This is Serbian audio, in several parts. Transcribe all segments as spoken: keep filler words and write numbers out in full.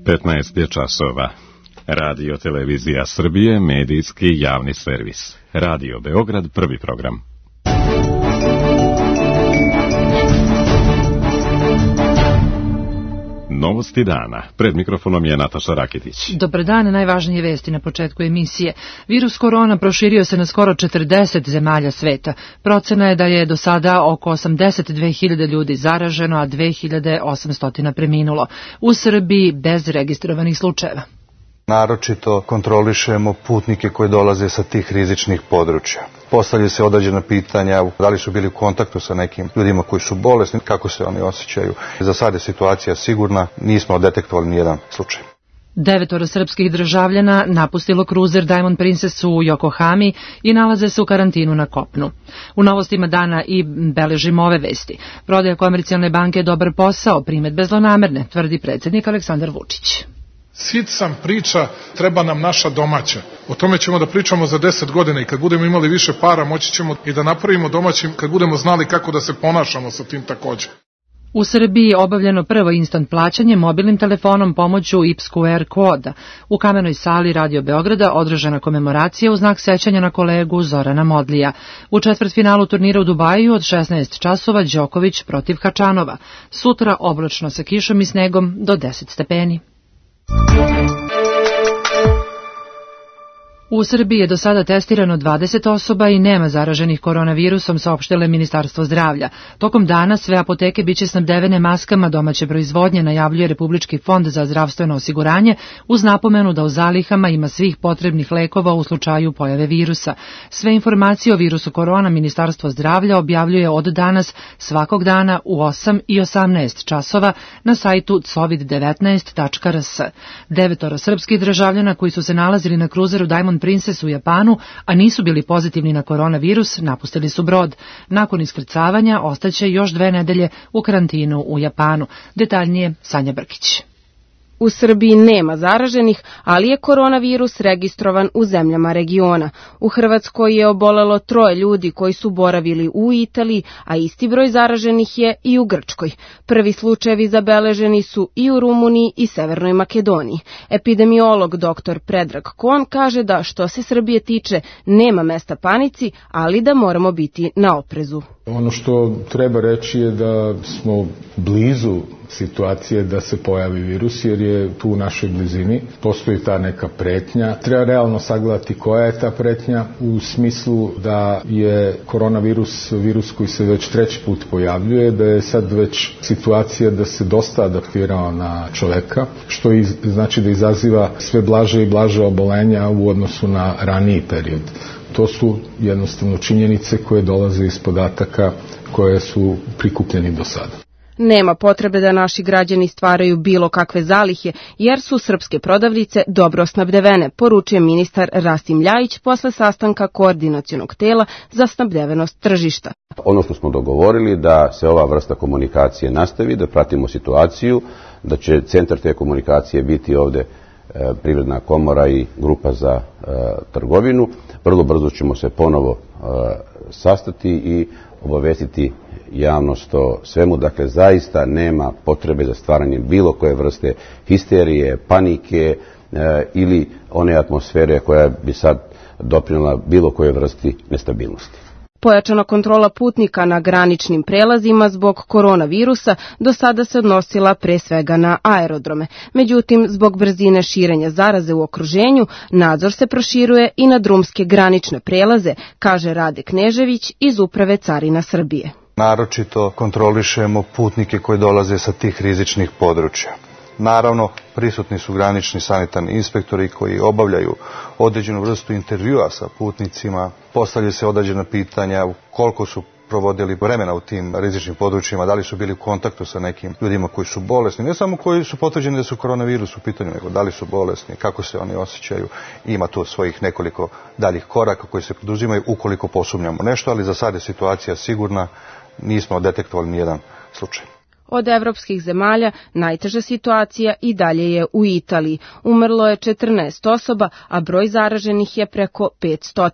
petnaest je časova. Radio Televizija Srbije, medijski javni servis. Radio Beograd, prvi program. Novosti dana. Pred mikrofonom je Nataša Rakitić. Dobar dan, najvažnije vesti na početku emisije. Virus korona proširio se na skoro četrdeset zemalja sveta. Procena je da je do sada oko osamdeset dve hiljade ljudi zaraženo, a dve hiljade osamsto preminulo. U Srbiji bez registrovanih slučajeva. Naročito kontrolišemo putnike koji dolaze sa tih rizičnih područja. Postavljaju se određena pitanja, da li su bili u kontaktu sa nekim ljudima koji su bolesni, kako se oni osjećaju. Za sad je situacija sigurna, nismo detektovali nijedan slučaj. Devetoro srpskih državljana napustilo kruzer Diamond Princess u Yokohami i nalaze se u karantinu na kopnu. U novostima dana i beležimo ove vesti. Prodaja Komercijalne banke je dobar posao, primedbe zlonamerne, tvrdi predsjednik Aleksandar Vučić. Sit sam priča, treba nam naša domaća. O tome ćemo da pričamo za deset godina i kad budemo imali više para moći ćemo i da napravimo domaćim kad budemo znali kako da se ponašamo sa tim takođe. U Srbiji je obavljeno prvo instant plaćanje mobilnim telefonom pomoću I P S Q R koda. U kamenoj sali Radio Beograda održana komemoracija u znak sećanja na kolegu Zorana Modlija. U četvrtfinalu turnira u Dubaju od šesnaest časova Đoković protiv Hačanova. Sutra oblačno sa kišom i snegom do deset stepeni. U Srbiji je do sada testirano dvadeset osoba i nema zaraženih koronavirusom, saopštilo je Ministarstvo zdravlja. Tokom dana sve apoteke biće snabdevene maskama domaće proizvodnje, najavljuje Republički fond za zdravstveno osiguranje, uz napomenu da u zalihama ima svih potrebnih lekova u slučaju pojave virusa. Sve informacije o virusu korona Ministarstvo zdravlja objavljuje od danas svakog dana u osam i osamnaest časova na sajtu covid devetnaest tačka r s. Devetoro srpskih državljana koji su se nalazili na kruzeru Diamond Princess u Japanu, a nisu bili pozitivni na koronavirus, napustili su brod. Nakon iskrcavanja ostaće još dve nedelje u karantinu u Japanu. Detaljnije Sanja Brkić. U Srbiji nema zaraženih, ali je koronavirus registrovan u zemljama regiona. U Hrvatskoj je obolelo troje ljudi koji su boravili u Italiji, a isti broj zaraženih je i u Grčkoj. Prvi slučajevi zabeleženi su i u Rumuniji i Severnoj Makedoniji. Epidemiolog doktor Predrag Kon kaže da što se Srbije tiče nema mesta panici, ali da moramo biti na oprezu. Ono što treba reći je da smo blizu situacije da se pojavi virus, jer je tu u našoj blizini. Postoji ta neka pretnja. Treba realno sagledati koja je ta pretnja u smislu da je koronavirus virus koji se već treći put pojavljuje, da je sad već situacija da se dosta adaptirao na čoveka, što iz, znači da izaziva sve blaže i blaže obolenja u odnosu na raniji period. To su jednostavno činjenice koje dolaze iz podataka koje su prikupljeni do sada. Nema potrebe da naši građani stvaraju bilo kakve zalihe, jer su srpske prodavnice dobro snabdevene, poručuje ministar Rasim Ljajić posle sastanka koordinacionog tela za snabdevenost tržišta. Ono što smo dogovorili da se ova vrsta komunikacije nastavi, da pratimo situaciju, da će centar te komunikacije biti ovde Privredna komora i grupa za e, trgovinu. Vrlo brzo ćemo se ponovo e, sastati i obavestiti javnost o svemu. Dakle, zaista nema potrebe za stvaranjem bilo koje vrste histerije, panike e, ili one atmosfere koja bi sad doprinela bilo koje vrsti nestabilnosti. Pojačana kontrola putnika na graničnim prelazima zbog koronavirusa do sada se odnosila pre svega na aerodrome. Međutim, zbog brzine širenja zaraze u okruženju, nadzor se proširuje i na drumske granične prelaze, kaže Rade Knežević iz Uprave carina Srbije. Naročito kontrolišemo putnike koji dolaze sa tih rizičnih područja. Naravno, prisutni su granični sanitarni inspektori koji obavljaju određenu vrstu intervjua sa putnicima, postavljaju se određena pitanja koliko su provodili vremena u tim rizičnim područjima, da li su bili u kontaktu sa nekim ljudima koji su bolesni, ne samo koji su potvrđeni da su koronavirus u pitanju, nego da li su bolesni, kako se oni osjećaju. Ima tu svojih nekoliko daljih koraka koji se poduzimaju ukoliko posumnjamo nešto, ali za sad je situacija sigurna, nismo detektovali nijedan slučaj. Od evropskih zemalja najteža situacija i dalje je u Italiji. Umrlo je četrnaest osoba, a broj zaraženih je preko petsto.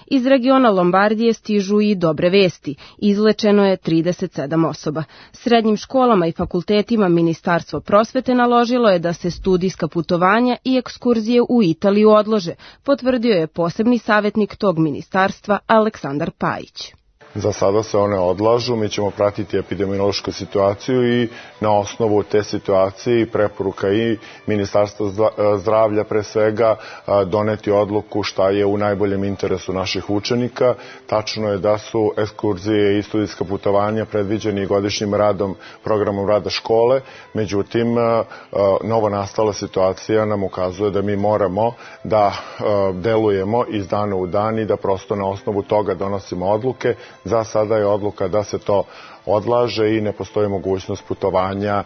Iz regiona Lombardije stižu i dobre vesti. Izlečeno je trideset sedam osoba. Srednjim školama i fakultetima Ministarstvo prosvete naložilo je da se studijska putovanja i ekskurzije u Italiju odlože, potvrdio je posebni savjetnik tog ministarstva Aleksandar Pajić. Za sada se one odlažu, mi ćemo pratiti epidemiološku situaciju i na osnovu te situacije i preporuka i Ministarstva zdravlja pre svega doneti odluku šta je u najboljem interesu naših učenika. Tačno je da su ekskurzije i studijska putovanja predviđeni godišnjim radom, programom rada škole, međutim novo nastala situacija nam ukazuje da mi moramo da delujemo iz dana u dan i da prosto na osnovu toga donosimo odluke. Za sada je odluka da se to odlaže i ne postoji mogućnost putovanja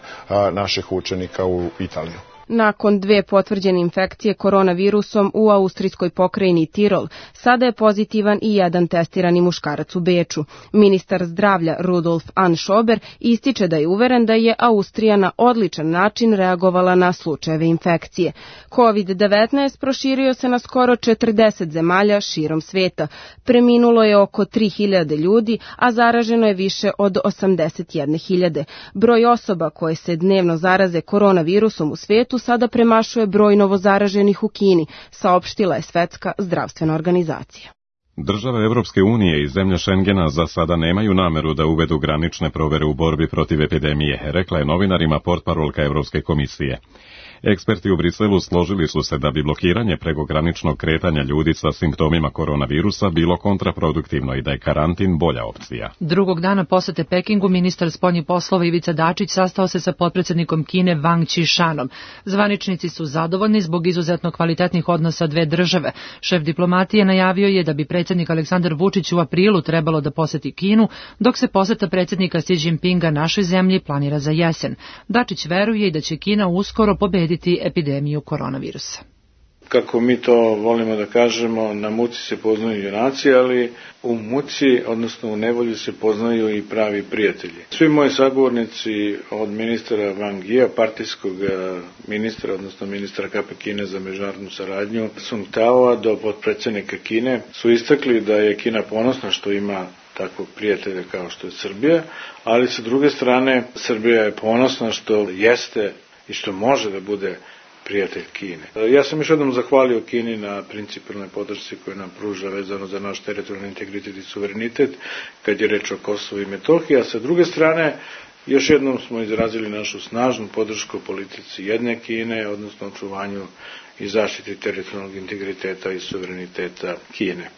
naših učenika u Italiju. Nakon dve potvrđene infekcije koronavirusom u austrijskoj pokrajini Tirol, sada je pozitivan i jedan testirani muškarac u Beču. Ministar zdravlja Rudolf Anschober ističe da je uveren da je Austrija na odličan način reagovala na slučajeve infekcije. kovid devetnaest proširio se na skoro četrdeset zemalja širom sveta. Preminulo je oko tri hiljade ljudi, a zaraženo je više od osamdeset jedne hiljade. Broj osoba koje se dnevno zaraze koronavirusom u svetu sada premašuje broj novozaraženih u Kini, saopštila je Svetska zdravstvena organizacija. Države Evropske unije i zemlje Šengena za sada nemaju nameru da uvedu granične provere u borbi protiv epidemije, rekla je novinarima portparolka Evropske komisije. Eksperti u Briselu složili su se da bi blokiranje prekograničnog kretanja ljudi sa simptomima koronavirusa bilo kontraproduktivno i da je karantin bolja opcija. Drugog dana posete Pekingu ministar spoljnih poslova Ivica Dačić sastao se sa potpredsjednikom Kine Wang Qišanom. Zvaničnici su zadovoljni zbog izuzetno kvalitetnih odnosa dve države. Šef diplomatije najavio je da bi predsjednik Aleksandar Vučić u aprilu trebalo da poseti Kinu, dok se poseta predsjednika Xi Jinpinga našoj zemlji planira za jesen. Dačić veruje i da će Kina uskoro pobediti epidemiju koronavirusa. Kako mi to volimo da kažemo, na muci se poznaju junaci, ali u muci, odnosno u nevolji se poznaju i pravi prijatelji. Svi moji sagovornici od ministra Wang Yia, partijskog ministra, odnosno ministra K P Kine za međunarodnu saradnju, Sung Taoa, do potpredsjednika Kine, su istakli da je Kina ponosna što ima takvog prijatelja kao što je Srbija, ali sa druge strane Srbija je ponosna što jeste i što može da bude prijatelj Kine. Ja sam još jednom zahvalio Kini na principijelnoj podršci koju nam pruža vezano za naš teritorijalni integritet i suverenitet kad je reč o Kosovu i Metohiji, a sa druge strane još jednom smo izrazili našu snažnu podršku politici jedne Kine, odnosno očuvanju i zaštiti teritorijalnog integriteta i suvereniteta Kine.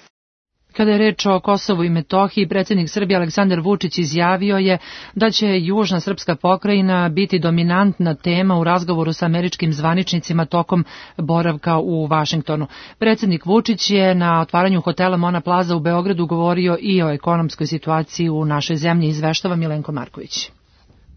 Kada je reč o Kosovu i Metohiji, predsjednik Srbije Aleksandar Vučić izjavio je da će južna srpska pokrajina biti dominantna tema u razgovoru sa američkim zvaničnicima tokom boravka u Vašingtonu. Predsjednik Vučić je na otvaranju hotela Mona Plaza u Beogradu govorio i o ekonomskoj situaciji u našoj zemlji, izveštava Milenko Marković.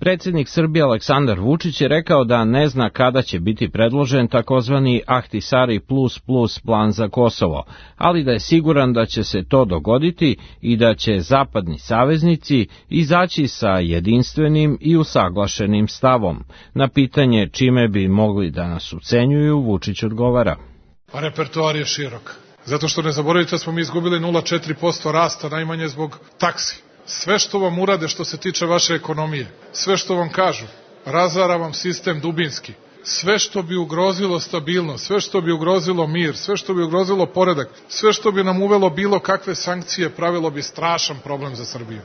Predsjednik Srbije Aleksandar Vučić je rekao da ne zna kada će biti predložen takozvani Ahtisari plus plus plan za Kosovo, ali da je siguran da će se to dogoditi i da će zapadni saveznici izaći sa jedinstvenim i usaglašenim stavom. Na pitanje čime bi mogli da nas ucenjuju, Vučić odgovara. Pa repertoar je širok. Zato što ne zaboravite da smo mi izgubili nula zarez četiri posto rasta najmanje zbog taksi. Sve što vam urade što se tiče vaše ekonomije, sve što vam kažu, razara vam sistem dubinski. Sve što bi ugrozilo stabilnost, sve što bi ugrozilo mir, sve što bi ugrozilo poredak, sve što bi nam uvelo bilo kakve sankcije, pravilo bi strašan problem za Srbiju.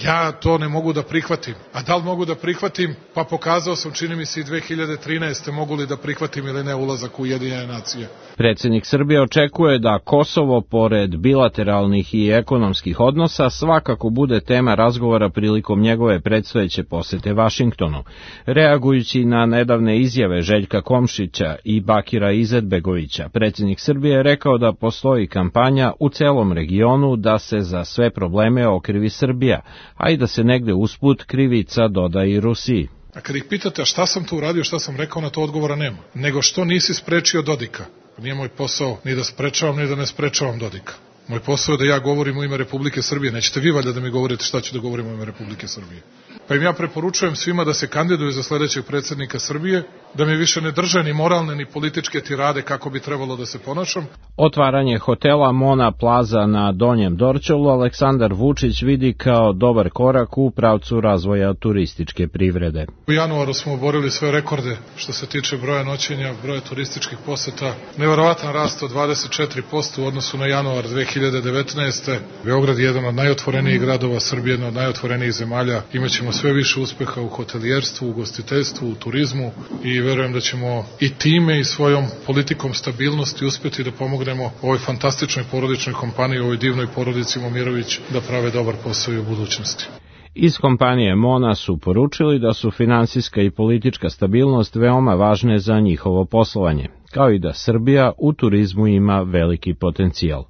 Ja to ne mogu da prihvatim. A da li mogu da prihvatim? Pa pokazao sam, čini mi se, i dve hiljade trinaeste mogu li da prihvatim ili ne ulazak u Ujedinjene nacije. Predsjednik Srbije očekuje da Kosovo, pored bilateralnih i ekonomskih odnosa, svakako bude tema razgovora prilikom njegove predstojeće posete Vašingtonu. Reagujući na nedavne izjave Željka Komšića i Bakira Izetbegovića, predsjednik Srbije je rekao da postoji kampanja u celom regionu da se za sve probleme okrivi Srbija, a i da se negde usput krivica doda i Rusiji. A kad ih pitate šta sam tu uradio, šta sam rekao, na to odgovora nema. Nego što nisi sprečio Dodika. Nije moj posao ni da sprečavam, ni da ne sprečavam Dodika. Moj posao je da ja govorim u ime Republike Srbije. Nećete vi valjda da mi govorite šta ću da govorim u ime Republike Srbije. Pa im ja preporučujem svima da se kandiduju za sledećeg predsjednika Srbije, da mi više ne drže ni moralne ni političke tirade kako bi trebalo da se ponašam. Otvaranje hotela Mona Plaza na Donjem Dorćolu Aleksandar Vučić vidi kao dobar korak u pravcu razvoja turističke privrede. U januaru smo oborili sve rekorde što se tiče broja noćenja, broja turističkih poseta. Neverovatan rast od dvadeset četiri posto u odnosu na januar dve hiljade devetnaeste. Beograd je jedan od najotvorenijih gradova Srbije, jedna od najotvorenijih zemalja. Imaćemo sve više uspeha u hotelijerstvu, u ugostiteljstvu, u turizmu i verujem da ćemo i time i svojom politikom stabilnosti uspeti da pomognemo ovoj fantastičnoj porodičnoj kompaniji, ovoj divnoj porodici Momirović da prave dobar posao i u budućnosti. Iz kompanije Mona su poručili da su finansijska i politička stabilnost veoma važne za njihovo poslovanje, kao i da Srbija u turizmu ima veliki potencijal.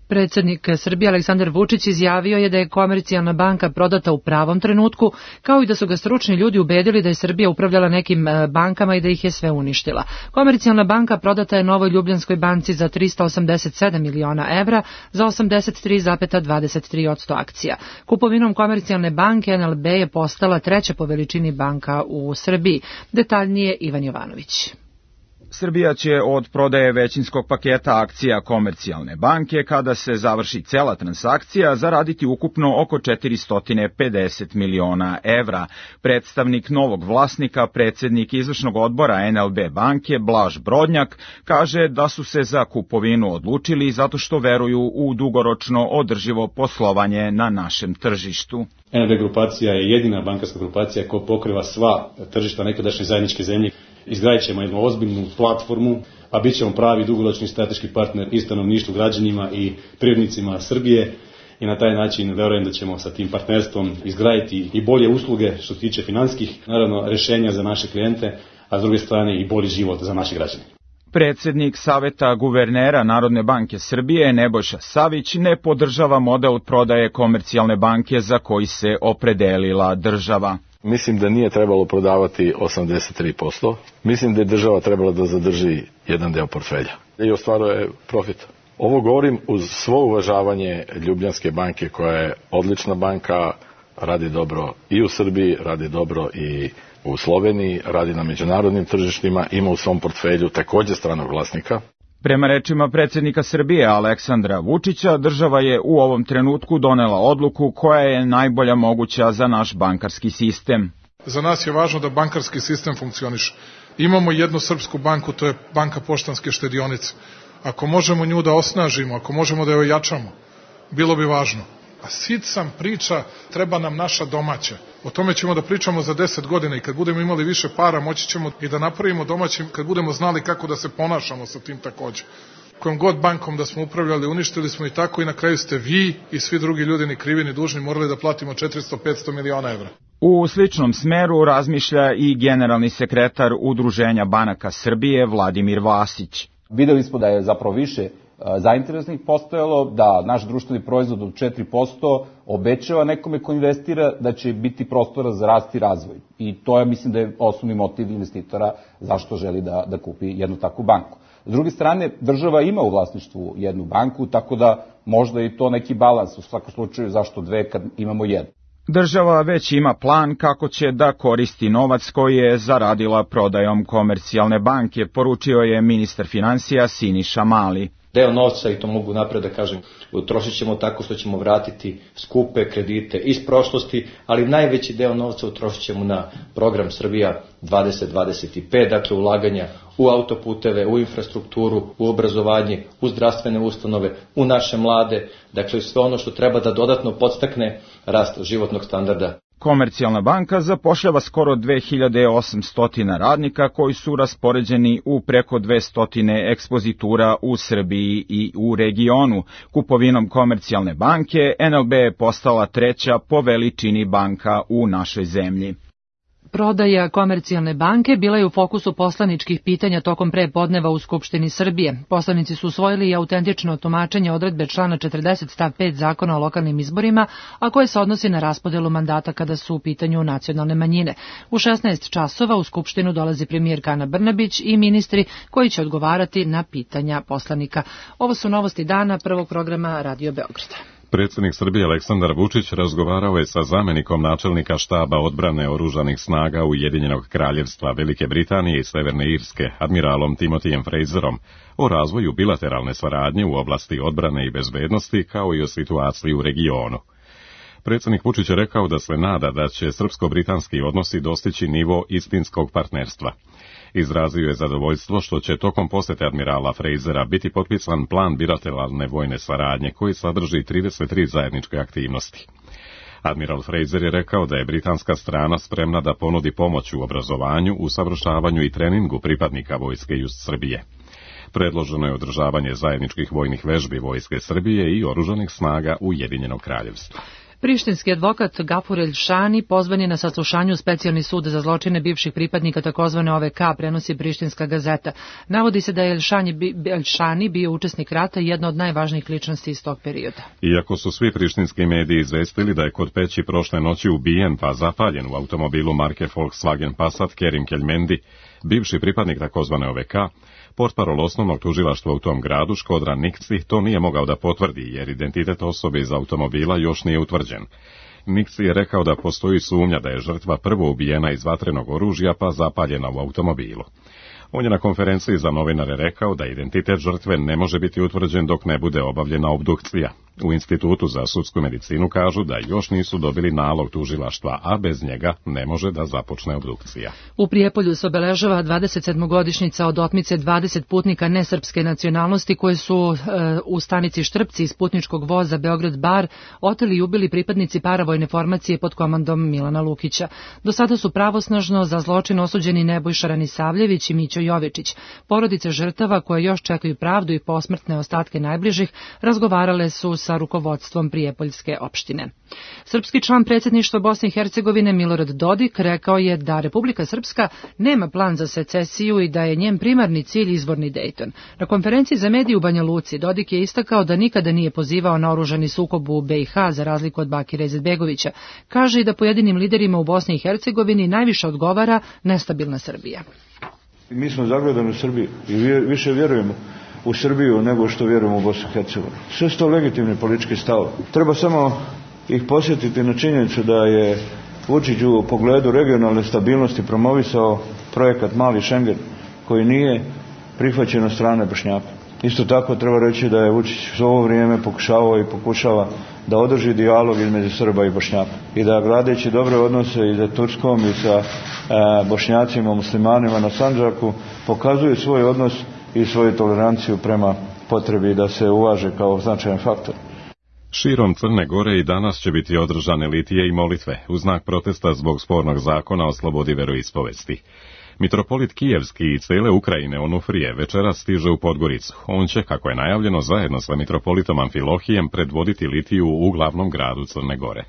Predsjednik Srbije Aleksandar Vučić izjavio je da je Komercijalna banka prodata u pravom trenutku, kao i da su ga stručni ljudi ubedili da je Srbija upravljala nekim bankama i da ih je sve uništila. Komercijalna banka prodata je Novoj Ljubljanskoj banci za trista osamdeset sedam miliona evra za osamdeset tri zarez dvadeset tri posto akcija. Kupovinom Komercijalne banke N L B je postala treća po veličini banka u Srbiji. Detaljnije Ivan Jovanović. Srbija će od prodaje većinskog paketa akcija Komercijalne banke, kada se završi cela transakcija, zaraditi ukupno oko četiristo pedeset miliona evra. Predstavnik novog vlasnika, predsjednik izvršnog odbora N L B banke, Blaž Brodnjak, kaže da su se za kupovinu odlučili zato što veruju u dugoročno održivo poslovanje na našem tržištu. N L B grupacija je jedina bankarska grupacija koja pokriva sva tržišta nekadašnje zajedničke zemlje. Izgradit ćemo jednu ozbiljnu platformu, a bit ćemo pravi dugoročni strateški partner i stanovništvu, građanima i privrednicima Srbije i na taj način verujem da ćemo sa tim partnerstvom izgraditi i bolje usluge što se tiče finansijskih, naravno, rešenja za naše klijente, a s druge strane i bolji život za naše građane. Predsednik Saveta guvernera Narodne banke Srbije Nebojša Savić ne podržava model prodaje Komercijalne banke za koji se opredelila država. Mislim da nije trebalo prodavati osamdeset tri posto. Mislim da je država trebala da zadrži jedan deo portfelja i ostvaruje profit. Ovo govorim uz svo uvažavanje Ljubljanske banke koja je odlična banka, radi dobro i u Srbiji, radi dobro i u Sloveniji, radi na međunarodnim tržištima, ima u svom portfelju takođe stranog vlasnika. Prema rečima predsjednika Srbije Aleksandra Vučića, država je u ovom trenutku donela odluku koja je najbolja moguća za naš bankarski sistem. Za nas je važno da bankarski sistem funkcioniše. Imamo jednu srpsku banku, to je Banka Poštanske štedionice. Ako možemo nju da osnažimo, ako možemo da je ojačamo, bilo bi važno. A sit sam priča, treba nam naša domaća. O tome ćemo da pričamo za deset godina i kad budemo imali više para, moći ćemo i da napravimo domaćim, kad budemo znali kako da se ponašamo sa tim takođe. Kojom god bankom da smo upravljali, uništili smo i tako i na kraju ste vi i svi drugi ljudi ni krivi ni dužni morali da platimo četiristo do petsto miliona evra. U sličnom smeru razmišlja i generalni sekretar Udruženja banaka Srbije Vladimir Vasić. Videli smo da je zapravo više zainteresnih postojalo, da naš društveni proizvod od četiri posto obećava nekome ko investira da će biti prostora za rast i razvoj. I to je, mislim, da je osnovni motiv investitora zašto želi da, da kupi jednu takvu banku. S druge strane, država ima u vlasništvu jednu banku, tako da možda i to neki balans, u svakom slučaju zašto dve kad imamo jednu. Država već ima plan kako će da koristi novac koji je zaradila prodajom Komercijalne banke, poručio je ministar finansija Siniša Mali. Deo novca, i to mogu napred da kažem, utrošit ćemo tako što ćemo vratiti skupe kredite iz prošlosti, ali najveći deo novca utrošit ćemo na program Srbija dvadeset dvadeset pet, dakle ulaganja u autoputeve, u infrastrukturu, u obrazovanje, u zdravstvene ustanove, u naše mlade, dakle sve ono što treba da dodatno podstakne rast životnog standarda. Komercijalna banka zapošljava skoro dve hiljade osamsto radnika koji su raspoređeni u preko dvesta ekspozitura u Srbiji i u regionu. Kupovinom Komercijalne banke N L B je postala treća po veličini banka u našoj zemlji. Prodaja Komercijalne banke bila je u fokusu poslaničkih pitanja tokom prepodneva u Skupštini Srbije. Poslanici su usvojili i autentično tumačenje odredbe člana četrdeset stav pet Zakona o lokalnim izborima, a koje se odnosi na raspodelu mandata kada su u pitanju nacionalne manjine. U šesnaest časova u Skupštinu dolazi premijerka Ana Brnabić i ministri koji će odgovarati na pitanja poslanika. Ovo su novosti dana prvog programa Radio Beograda. Predsjednik Srbije Aleksandar Vučić razgovarao je sa zamenikom načelnika štaba odbrane oružanih snaga Ujedinjenog kraljevstva Velike Britanije i Severne Irske, admiralom Timotijem Fraserom, o razvoju bilateralne saradnje u oblasti odbrane i bezbednosti kao i o situaciji u regionu. Predsjednik Vučić je rekao da se nada da će srpsko-britanski odnosi dostići nivo istinskog partnerstva. Izrazio je zadovoljstvo što će tokom posete admirala Frasera biti potpisan plan bilateralne vojne saradnje koji sadrži trideset tri zajedničke aktivnosti. Admiral Fraser je rekao da je britanska strana spremna da ponudi pomoć u obrazovanju, usavršavanju i treningu pripadnika vojske Just Srbije. Predloženo je održavanje zajedničkih vojnih vežbi vojske Srbije i oružanih snaga Ujedinjenog kraljevstva. Prištinski advokat Gafur Elšani pozvan je na saslušanju u specijalni sud za zločine bivših pripadnika takozvane O V K, prenosi Prištinska gazeta. Navodi se da je Elšani, Elšani bio učesnik rata i jedna od najvažnijih ličnosti iz tog perioda. Iako su svi prištinski mediji izvestili da je kod Peći prošle noći ubijen pa zapaljen u automobilu marke Volkswagen Passat Kerim Keljmendi, bivši pripadnik takozvane O V K, portparol osnovnog tužilaštva u tom gradu Škodran Nikci to nije mogao da potvrdi jer identitet osobe iz automobila još nije utvrđen. Nikci je rekao da postoji sumnja da je žrtva prvo ubijena iz vatrenog oružja pa zapaljena u automobilu. On je na konferenciji za novinare rekao da identitet žrtve ne može biti utvrđen dok ne bude obavljena obdukcija. U Institutu za sudsku medicinu kažu da još nisu dobili nalog tužilaštva, a bez njega ne može da započne obdukcija. U Prijepolju se obeležava dvadeset sedmogodišnjica od otmice dvadeset putnika nesrpske nacionalnosti koji su e, u stanici Štrpci iz putničkog voza Beograd-Bar oteli i ubili pripadnici paravojne formacije pod komandom Milana Lukića. Do sada su pravosnažno za zločin osuđeni Nebojša Ranisavljević i Mićo Jovičić. Porodice žrtava koje još čekaju pravdu i posmrtne ostatke najbližih razgovarale su sa rukovodstvom Prijepoljske opštine. Srpski član predsjedništva Bosne i Hercegovine Milorad Dodik rekao je da Republika Srpska nema plan za secesiju i da je njen primarni cilj izvorni Dejton. Na konferenciji za medije u Banja Luci Dodik je istakao da nikada nije pozivao na oružani sukob u B i H za razliku od Bakira Izetbegovića. Kaže i da pojedinim liderima u Bosni i Hercegovini najviše odgovara nestabilna Srbija. Mi smo zagledani u Srbiji i više vjerujemo u Srbiju nego što vjerujemo u Bosnu i Hercegovinu. Sve su to legitimni politički stavovi. Treba samo ih posjetiti na činjenicu da je Vučić u pogledu regionalne stabilnosti promovisao projekat Mali Šengen koji nije prihvaćen od strane Bošnjaka. Isto tako treba reći da je Vučić u ovo vrijeme pokušavao i pokušava da održi dijalog između Srba i Bošnjaka i da gradeći dobre odnose i sa Turskom i sa e, Bošnjacima, muslimanima na Sandžaku pokazuje svoj odnos i svoju toleranciju prema potrebi da se uvaže kao značajan faktor. Širom Crne Gore i danas će biti održane litije i molitve u znak protesta zbog spornog zakona o slobodi veroispovesti. Mitropolit Kijevski i cele Ukrajine Onufrije večeras stiže u Podgoricu. On će, kako je najavljeno, zajedno sa mitropolitom Amfilohijem predvoditi litiju u glavnom gradu Crne Gore.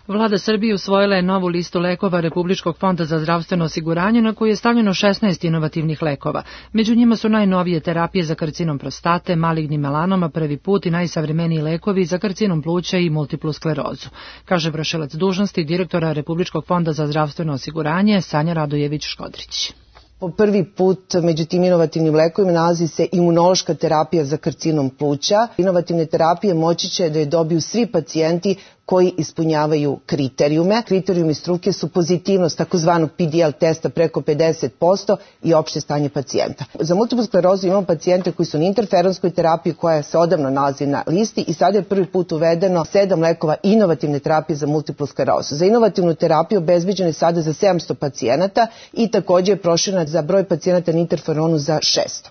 Vlada Srbije usvojila je novu listu lekova Republičkog fonda za zdravstveno osiguranje na koju je stavljeno šesnaest inovativnih lekova. Među njima su najnovije terapije za karcinom prostate, maligni melanoma prvi put i najsavremeniji lekovi za karcinom pluća i multiplu sklerozu, kaže vršilac dužnosti direktora Republičkog fonda za zdravstveno osiguranje Sanja Radojević-Škodrić. Po prvi put među tim inovativnim lekovima nalazi se imunološka terapija za karcinom pluća. Inovativne terapije moći će da je dobiju svi pacijenti koji ispunjavaju kriterijume. Kriterijumi struke su pozitivnost takozvanog P D L testa preko pedeset posto i opšte stanje pacijenta. Za multiplu sklerozu imamo pacijente koji su na interferonskoj terapiji koja se odavno nalazi na listi i sada je prvi put uvedeno sedam lekova inovativne terapije za multiplu sklerozu. Za inovativnu terapiju obezbeđeno je sada za sedamsto pacijenata i također je proširena za broj pacijenata na interferonu za šesto.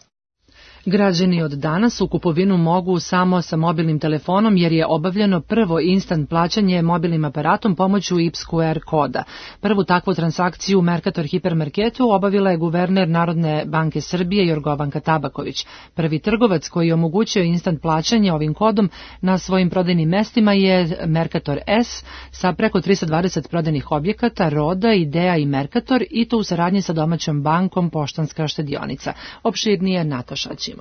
Građani od danas u kupovinu mogu samo sa mobilnim telefonom jer je obavljeno prvo instant plaćanje mobilnim aparatom pomoću I P S Q R koda. Prvu takvu transakciju u Mercator hipermarketu obavila je guverner Narodne banke Srbije Jorgovanka Tabaković. Prvi trgovac koji je omogućio instant plaćanje ovim kodom na svojim prodajnim mestima je Mercator S sa preko tristo dvadeset prodajnih objekata Roda, Idea i Mercator i to u saradnji sa domaćom bankom Poštanska štedionica. Opširnije Nataša Ćimović.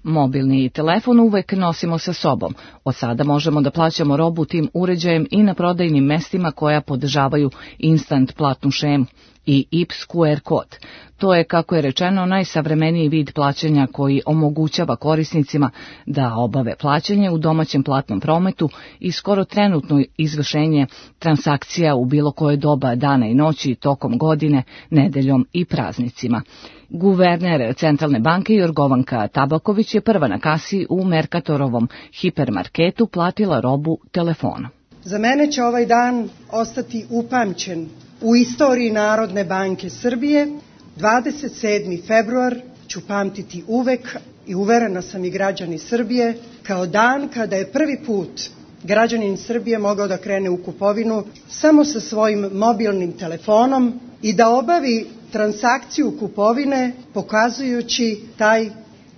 Mobilni telefon uvek nosimo sa sobom. Od sada možemo da plaćamo robu tim uređajem i na prodajnim mestima koja podržavaju instant platnu šemu i I P S Q R kod. To je, kako je rečeno, najsavremeniji vid plaćanja koji omogućava korisnicima da obave plaćanje u domaćem platnom prometu i skoro trenutno izvršenje transakcija u bilo koje doba dana i noći, tokom godine, nedeljom i praznicima. Guverner Centralne banke Jorgovanka Tabaković je prva na kasi u Mercatorovom hipermarketu platila robu telefonom. Za mene će ovaj dan ostati upamćen u istoriji Narodne banke Srbije. dvadeset sedmi februar ću pamtiti uvek i uverena sam i građani Srbije kao dan kada je prvi put građanin Srbije mogao da krene u kupovinu samo sa svojim mobilnim telefonom i da obavi transakciju kupovine pokazujući taj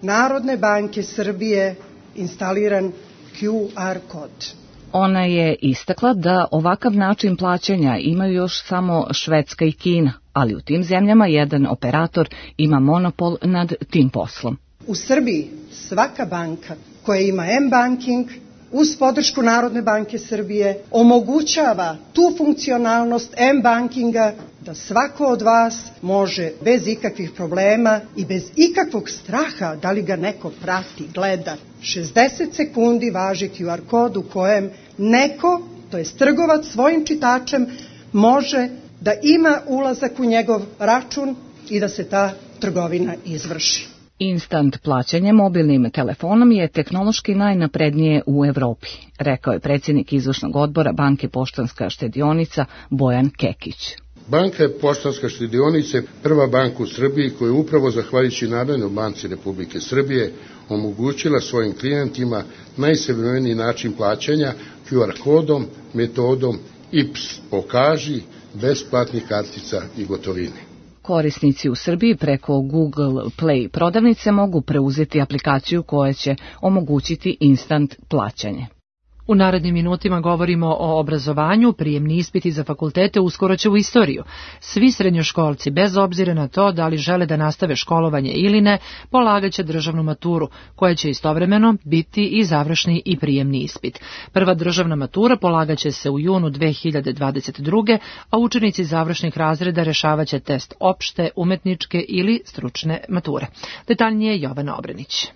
Narodne banke Srbije instaliran Q R kod. Ona je istakla da ovakav način plaćanja imaju još samo Švedska i Kina, ali u tim zemljama jedan operator ima monopol nad tim poslom. U Srbiji svaka banka koja ima M-banking uz podršku Narodne banke Srbije omogućava tu funkcionalnost M-bankinga da svako od vas može bez ikakvih problema i bez ikakvog straha da li ga neko prati, gleda, šezdeset sekundi važi Q R kod u kojem neko, to jest trgovac svojim čitačem, može da ima ulazak u njegov račun i da se ta trgovina izvrši. Instant plaćanje mobilnim telefonom je tehnološki najnaprednije u Evropi, rekao je predsjednik izvršnog odbora Banke Poštanska štedionica Bojan Kekić. Banka Poštanska štedionica je prva banka u Srbiji koja je upravo zahvaljujući Narodnoj banci Republike Srbije omogućila svojim klijentima najsavremeniji način plaćanja Q R kodom, metodom I P S pokaži, bez platnih kartica i gotovine. Korisnici u Srbiji preko Google Play prodavnice mogu preuzeti aplikaciju koja će omogućiti instant plaćanje. U narednim minutima govorimo o obrazovanju, prijemni ispiti za fakultete uskoro će u istoriju. Svi srednjoškolci, bez obzira na to da li žele da nastave školovanje ili ne, polagaće državnu maturu, koja će istovremeno biti i završni i prijemni ispit. Prva državna matura polagaće se u junu dve hiljade dvadeset druge. a učenici završnih razreda rešavaće test opšte, umetničke ili stručne mature. Detaljnije Jovana Obrenić.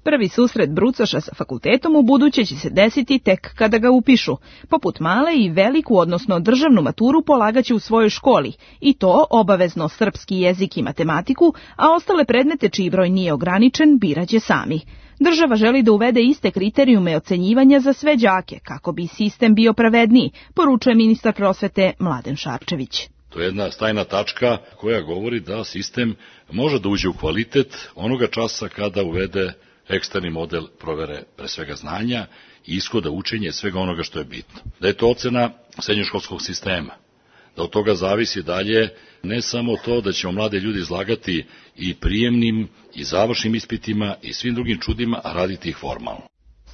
Prvi susret brucoša sa fakultetom u buduće će se desiti tek kada ga upišu. Poput male i veliku, odnosno državnu maturu polagaće u svojoj školi, i to obavezno srpski jezik i matematiku, a ostale predmete čiji broj nije ograničen biraće sami. Država želi da uvede iste kriterijume ocenjivanja za sve đake, kako bi sistem bio pravedniji, poručuje ministar prosvete Mladen Šarčević. To je jedna stajna tačka koja govori da sistem može da uđe u kvalitet onoga časa kada uvede eksterni model provere pre svega znanja i ishoda učenja svega onoga što je bitno. Da je to ocena srednjoškolskog sistema, da od toga zavisi dalje ne samo to da ćemo mlade ljudi izlagati i prijemnim i završnim ispitima i svim drugim čudima, a raditi ih formalno.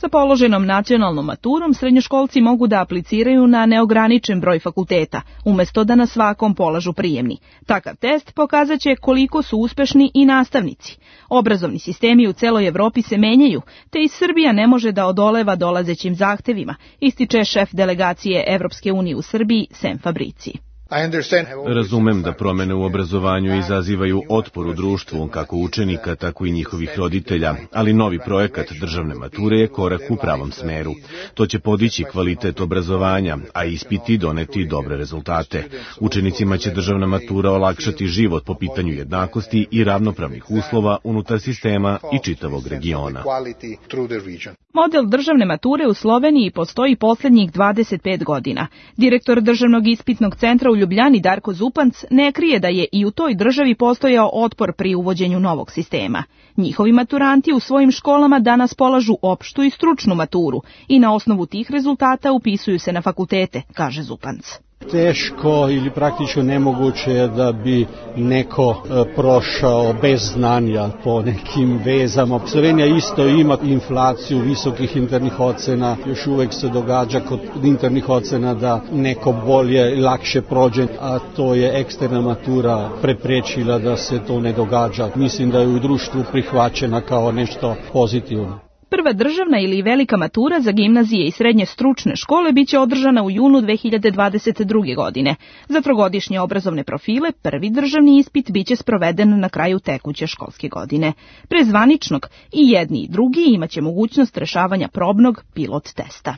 Sa položenom nacionalnom maturom srednjoškolci mogu da apliciraju na neograničen broj fakulteta, umesto da na svakom polažu prijemni. Takav test pokazat će koliko su uspešni i nastavnici. Obrazovni sistemi u celoj Evropi se menjaju, te i Srbija ne može da odoleva dolazećim zahtevima, ističe šef delegacije Evropske unije u Srbiji Sem Fabrici. Razumem da promene u obrazovanju izazivaju otpor u društvu, kako učenika, tako i njihovih roditelja, ali novi projekat državne mature je korak u pravom smeru. To će podići kvalitet obrazovanja, a ispiti doneti dobre rezultate. Učenicima će državna matura olakšati život po pitanju jednakosti i ravnopravnih uslova unutar sistema i čitavog regiona. Model državne mature u Sloveniji postoji poslednjih dvadeset pet godina. Direktor Državnog ispitnog centra u u Ljubljani Darko Zupanc ne krije da je i u toj državi postojao otpor pri uvođenju novog sistema. Njihovi maturanti u svojim školama danas polažu opštu i stručnu maturu i na osnovu tih rezultata upisuju se na fakultete, kaže Zupanc. Teško ili praktično nemoguće je da bi neko prošao bez znanja po nekim vezama. Slovenija isto ima inflaciju visokih internih ocena, još uvek se događa kod internih ocena da neko bolje i lakše prođe, a to je eksterna matura preprečila da se to ne događa. Mislim da je u društvu prihvaćena kao nešto pozitivno. Prva državna ili velika matura za gimnazije i srednje stručne škole biće održana u junu dve hiljade dvadeset druge. godine. Za trogodišnje obrazovne profile prvi državni ispit biće sproveden na kraju tekuće školske godine. Pre zvaničnog i jedni i drugi imaće mogućnost rešavanja probnog pilot testa.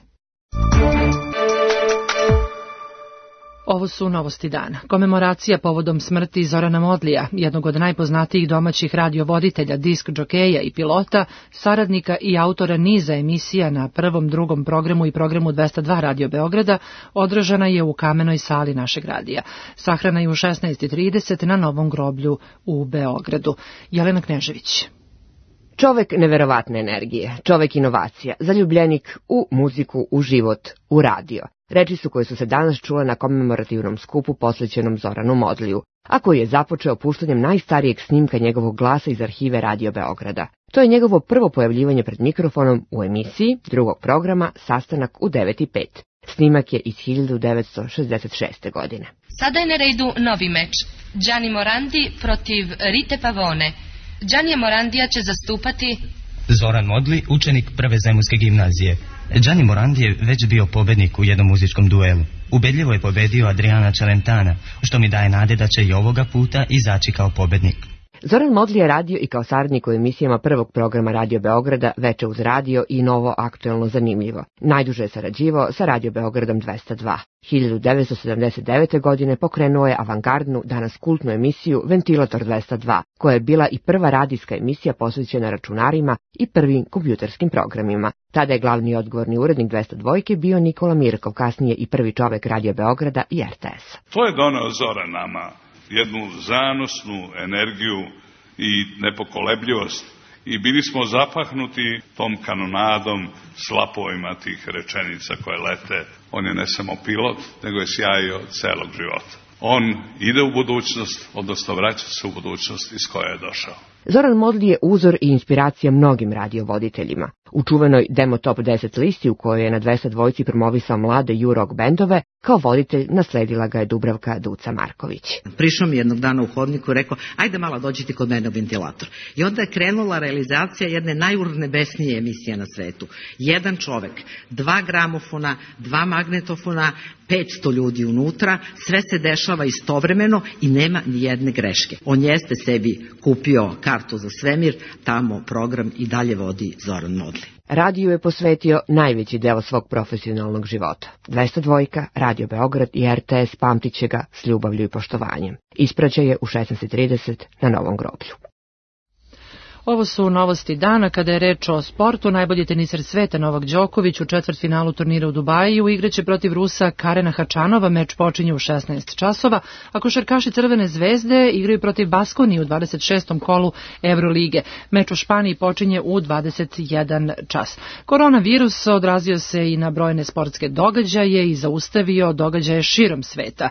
Ovo su novosti dana. Komemoracija povodom smrti Zorana Modlija, jednog od najpoznatijih domaćih radiovoditelja, disk džokeja i pilota, saradnika i autora niza emisija na prvom, drugom programu i programu dvesta dva Radio Beograda, održana je u kamenoj sali našeg radija. Sahrana je u šesnaest i trideset na Novom groblju u Beogradu. Jelena Knežević. Čovek neverovatne energije, čovek inovacija, zaljubljenik u muziku, u život, u radio. Reči su koje su se danas čule na komemorativnom skupu posvećenom Zoranu Modliju, a koji je započeo puštanjem najstarijeg snimka njegovog glasa iz arhive Radio Beograda. To je njegovo prvo pojavljivanje pred mikrofonom u emisiji drugog programa Sastanak u devet i pet. Snimak je iz hiljadu devetsto šezdeset šeste. godine. Sada je na redu novi meč. Gianni Morandi protiv Rite Pavone. Gianni Morandija će zastupati Zoran Modli, učenik prve zemunske gimnazije. Gianni Morandi je već bio pobednik u jednom muzičkom duelu. Ubedljivo je pobedio Adriana Celentana, što mi daje nade da će i ovoga puta izaći kao pobednik. Zoran Modli je radio i kao saradnik u emisijama prvog programa Radio Beograda Veče uz radio i Novo aktuelno zanimljivo. Najduže je sarađivao sa Radio Beogradom dvesta dva. hiljadu devetsto sedamdeset devete. godine pokrenuo je avangardnu, danas kultnu emisiju Ventilator dvesta dva, koja je bila i prva radijska emisija posvećena računarima i prvim kompjuterskim programima. Tada je glavni odgovorni urednik dvesta dva bio Nikola Mirkov, kasnije i prvi čovek Radio Beograda i er te es. To je doneo Zoran nama. Jednu zanosnu energiju i nepokolebljivost i bili smo zapahnuti tom kanonadom, slapovima tih rečenica koje lete. On je ne samo pilot, nego je sjajio celog života. On ide u budućnost, odnosno vraća se u budućnost iz koje je došao. Zoran Modli je uzor i inspiracija mnogim radiovoditeljima. U čuvenoj Demo Top deset listi u kojoj je na dvesta dva promovisao mlade ju-rock bendove, kao voditelj nasledila ga je Dubravka Duca Marković. Prišao mi jednog dana u hodniku i rekao, ajde malo dođite kod mene u Ventilator. I onda je krenula realizacija jedne najurnebesnije emisije na svetu. Jedan čovek, dva gramofona, dva magnetofona, petsto ljudi unutra, sve se dešava istovremeno i nema ni jedne greške. On jeste sebi kupio kartu za svemir, tamo program i dalje vodi Zoran Modli. Radio je posvetio najveći deo svog profesionalnog života. dvesta dva, Radio Beograd i er te es pamtit će ga s ljubavlju i poštovanjem. Ispraća je u šesnaest i trideset na Novom groblju. Ovo su novosti dana. Kada je reč o sportu, najbolji teniser sveta Novak Đoković u četvrtfinalu turnira u Dubaju igraće protiv Rusa Karena Hačanova. Meč počinje u šesnaest časova, a košarkaši Crvene zvezde igraju protiv Baskonije u dvadeset šestom kolu Evrolige. Meč u Španiji počinje u dvadeset jedan čas. Koronavirus odrazio se i na brojne sportske događaje i zaustavio događaje širom sveta.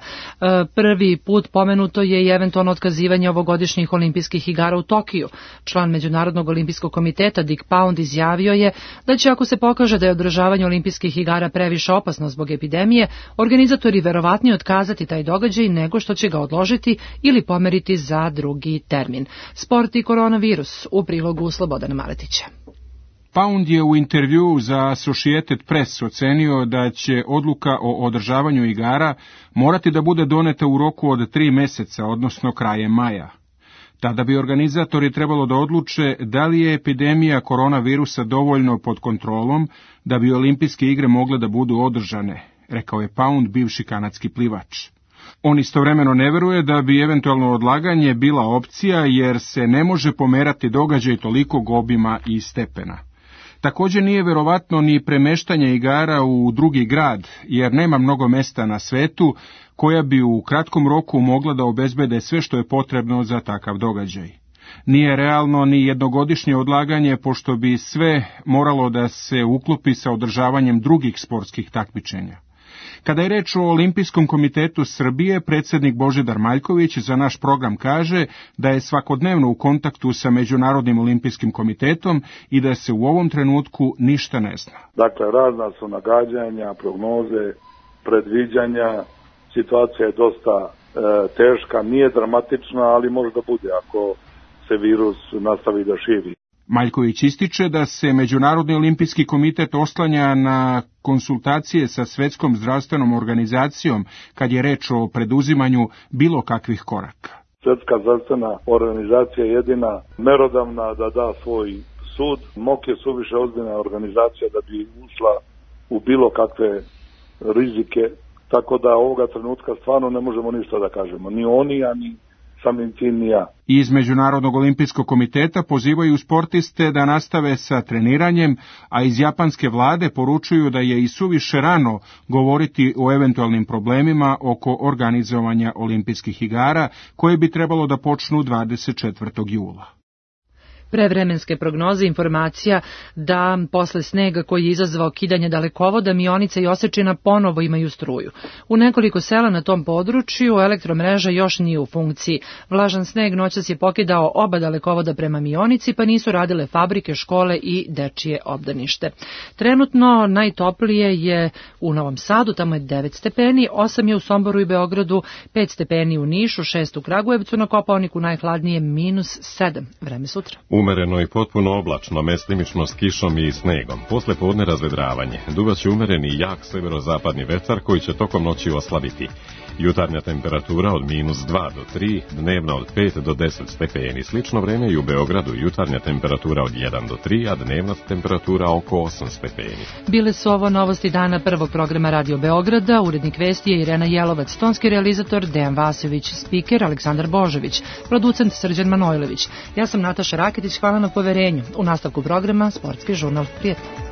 Prvi put pomenuto je i eventualno otkazivanje ovogodišnjih olimpijskih igara u Tokiju. Član Međunarodnog olimpijskog komiteta Dick Pound izjavio je da će, ako se pokaže da je održavanje olimpijskih igara previše opasno zbog epidemije, organizatori verovatnije otkazati taj događaj nego što će ga odložiti ili pomeriti za drugi termin. Sport i koronavirus u prilogu Slobodana Maletića. Pound je u intervjuu za Associated Press ocenio da će odluka o održavanju igara morati da bude doneta u roku od tri meseca, odnosno krajem maja. Tada bi organizatori trebalo da odluče da li je epidemija koronavirusa dovoljno pod kontrolom da bi olimpijske igre mogle da budu održane, rekao je Pound, bivši kanadski plivač. On istovremeno ne veruje da bi eventualno odlaganje bila opcija jer se ne može pomerati događaj tolikog obima i stepena. Također nije verovatno ni premeštanje igara u drugi grad, jer nema mnogo mesta na svetu koja bi u kratkom roku mogla da obezbede sve što je potrebno za takav događaj. Nije realno ni jednogodišnje odlaganje, pošto bi sve moralo da se uklopi sa održavanjem drugih sportskih takmičenja. Kada je reč o Olimpijskom komitetu Srbije, predsjednik Božidar Maljković za naš program kaže da je svakodnevno u kontaktu sa Međunarodnim olimpijskim komitetom i da se u ovom trenutku ništa ne zna. Dakle, razna su nagađanja, prognoze, predviđanja, situacija je dosta e, teška, nije dramatična, ali može da bude ako se virus nastavi da širi. Maljković ističe da se Međunarodni olimpijski komitet oslanja na konsultacije sa Svetskom zdravstvenom organizacijom kad je reč o preduzimanju bilo kakvih koraka. Svetska zdravstvena organizacija je jedina merodavna da da svoj sud. M O K je suviše ozbiljna organizacija da bi ušla u bilo kakve rizike, tako da ovoga trenutka stvarno ne možemo ništa da kažemo. Ni oni, a ni samim tim ni ja. Iz Međunarodnog olimpijskog komiteta pozivaju sportiste da nastave sa treniranjem, a iz japanske vlade poručuju da je i suviše rano govoriti o eventualnim problemima oko organizovanja olimpijskih igara, koje bi trebalo da počnu dvadeset četvrtog jula. Prevremenske prognoze informacija da posle snega koji je izazvao kidanje dalekovoda, Mionica i Osečina ponovo imaju struju. U nekoliko sela na tom području elektromreža još nije u funkciji. Vlažan sneg noćas je pokidao oba dalekovoda prema Mionici, pa nisu radile fabrike, škole i dečije obdanište. Trenutno najtoplije je u Novom Sadu, tamo je devet stepeni, osam je u Somboru i Beogradu, pet stepeni u Nišu, šest u Kragujevcu, na Kopaoniku najhladnije minus sedam. Vreme sutra. Umereno i potpuno oblačno, mestimično s kišom i snegom. Posle podne razvedravanje. Duvaće umereni i jak severozapadni vetar koji će tokom noći oslabiti. Jutarnja temperatura od minus dva do tri, dnevna od pet do deset stepeni. Slično vreme i u Beogradu, jutarnja temperatura od jedan do tri, a dnevna temperatura oko osam stepeni. Bile su ovo novosti dana prvog programa Radio Beograda. Urednik vesti je Irena Jelovac, tonski realizator Dejan Vasović, spiker Aleksandar Božović, producent Srđan Manojlović. Ja sam Nataša Raketić, hvala na poverenju. U nastavku programa Sportski žurnal. Prijetno.